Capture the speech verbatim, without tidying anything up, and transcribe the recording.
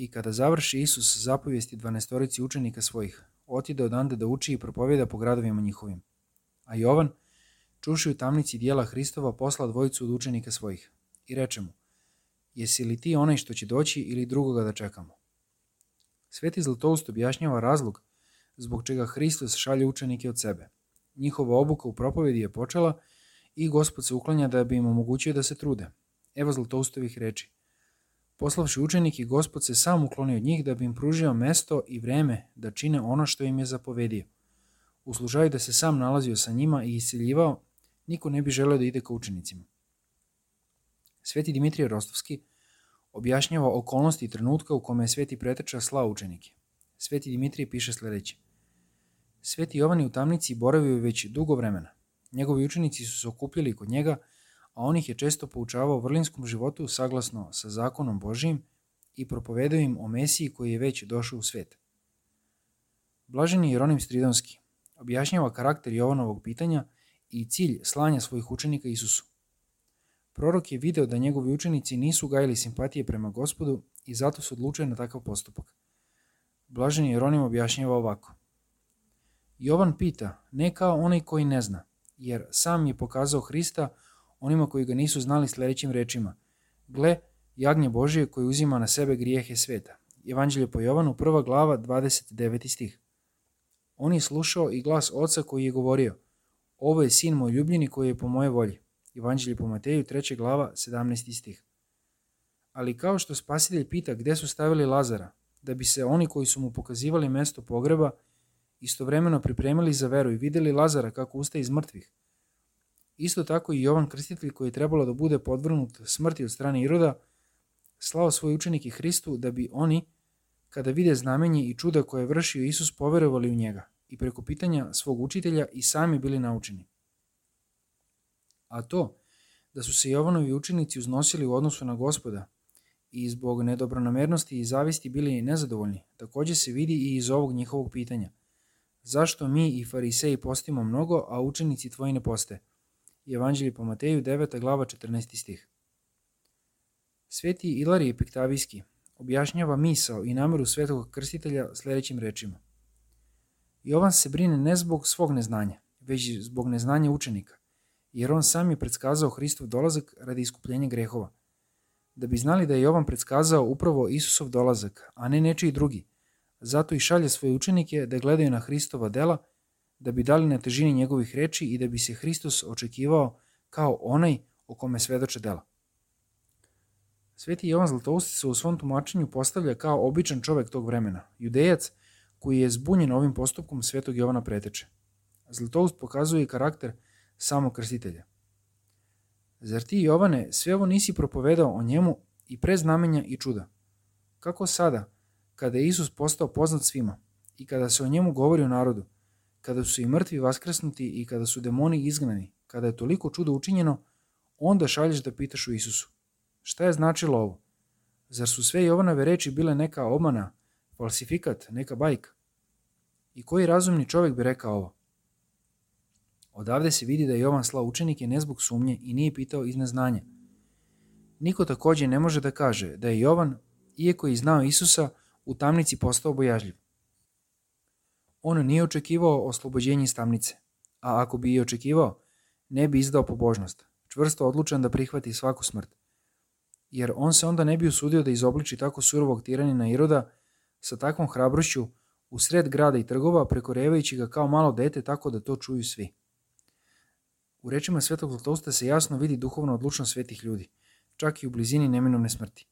I kada završi Isus zapovijesti dvanaestorici učenika svojih, otide odande da uči i propovjeda po gradovima njihovim. A Jovan, čuši u tamnici dijela Hristova, posla dvojicu od učenika svojih i reče mu: jesi li ti onaj što će doći ili drugoga da čekamo? Sveti Zlatoust objašnjava razlog zbog čega Hristos šalje učenike od sebe. Njihova obuka u propovjedi je počela i Gospod se uklanja da bi im omogućio da se trude. Evo Zlatoustovih reči: poslavši učenike, Gospod se sam uklonio od njih da bi im pružio mesto i vreme da čine ono što im je zapovedio. U slučaju da se sam nalazio sa njima i isceljivao, niko ne bi želeo da ide ka učenicima. Sveti Dimitrije Rostovski objašnjava okolnosti i trenutka u kome je Sveti Preteča slao učenike. Sveti Dimitrije piše sljedeće: Sveti Jovan je u tamnici boravio već dugo vremena. Njegovi učenici su se okupljali kod njega, a on ih je često poučavao vrlinskom životu saglasno sa zakonom Božijim i propovedao im o Mesiji koji je već došao u svet. Blaženi Jeronim Stridonski objašnjava karakter Jovanovog pitanja i cilj slanja svojih učenika Isusu. Prorok je video da njegovi učenici nisu gajili simpatije prema Gospodu i zato su odlučili na takav postupak. Blaženi Jeronim objašnjava ovako: Jovan pita ne kao onaj koji ne zna, jer sam je pokazao Hrista onima koji ga nisu znali sljedećim rečima: gle, jagnje Božije koji uzima na sebe grijehe sveta. Evanđelje po Jovanu, prva glava, dvadeset deveti stih. On je slušao i glas Oca koji je govorio: ovo je sin moj ljubljeni koji je po moje volji. Evanđelje po Mateju, treća glava, sedamnaesti stih. Ali kao što Spasitelj pita gdje su stavili Lazara, da bi se oni koji su mu pokazivali mesto pogreba istovremeno pripremili za veru i vidjeli Lazara kako ustaje iz mrtvih, isto tako i Jovan Krstitelj, koji je trebalo da bude podvrgnut smrti od strane Iroda, slao svoje učenike Hristu da bi oni, kada vide znamenje i čuda koje je vršio Isus, poverovali u njega i preko pitanja svog učitelja i sami bili naučeni. A to, da su se Jovanovi učenici uznosili u odnosu na Gospoda i zbog nedobronamernosti i zavisti bili nezadovoljni, također se vidi i iz ovog njihovog pitanja: zašto mi i fariseji postimo mnogo, a učenici tvoji ne poste? Evanđelje po Mateju, deveta glava, četrnaesti stih. Sveti Ilarije Piktavijski objašnjava misao i nameru Svetog Krstitelja sljedećim rečima: Jovan se brine ne zbog svog neznanja, već zbog neznanja učenika, jer on sam je predskazao Hristov dolazak radi iskupljenja grehova. Da bi znali da je Jovan predskazao upravo Isusov dolazak, a ne nečiji drugi, zato i šalje svoje učenike da gledaju na Hristova dela, da bi dali na težini njegovih reči i da bi se Hristos očekivao kao onaj o kome svedoče dela. Sveti Jovan Zlatoust se u svom tumačenju postavlja kao običan čovjek tog vremena, judejac koji je zbunjen ovim postupkom Svetog Jovana Preteče. Zlatoust pokazuje i karakter samog Krstitelja. Zar ti, Jovane, sve ovo nisi propovedao o njemu i pre znamenja i čuda? Kako sada, kada je Isus postao poznat svima i kada se o njemu govori u narodu, kada su i mrtvi vaskrsnuti i kada su demoni izgnani, kada je toliko čuda učinjeno, onda šalješ da pitaš u Isusu: šta je značilo ovo? Zar su sve Jovanove reči bile neka obmana, falsifikat, neka bajka? I koji razumni čovjek bi rekao ovo? Odavde se vidi da je Jovan slao učenike ne zbog sumnje i nije pitao iz neznanja. Niko također ne može da kaže da je Jovan, iako je znao Isusa, u tamnici postao bojažljiv. On nije očekivao oslobođenje iz tamnice, a ako bi i očekivao, ne bi izdao pobožnost, čvrsto odlučan da prihvati svaku smrt. Jer on se onda ne bi usudio da izobliči tako surovog tiranina Iroda sa takvom hrabrošću u sred grada i trgova, prekorevajući ga kao malo dete tako da to čuju svi. U rečima Svetog Zlatousta se jasno vidi duhovna odlučnost svetih ljudi, čak i u blizini neminovne smrti.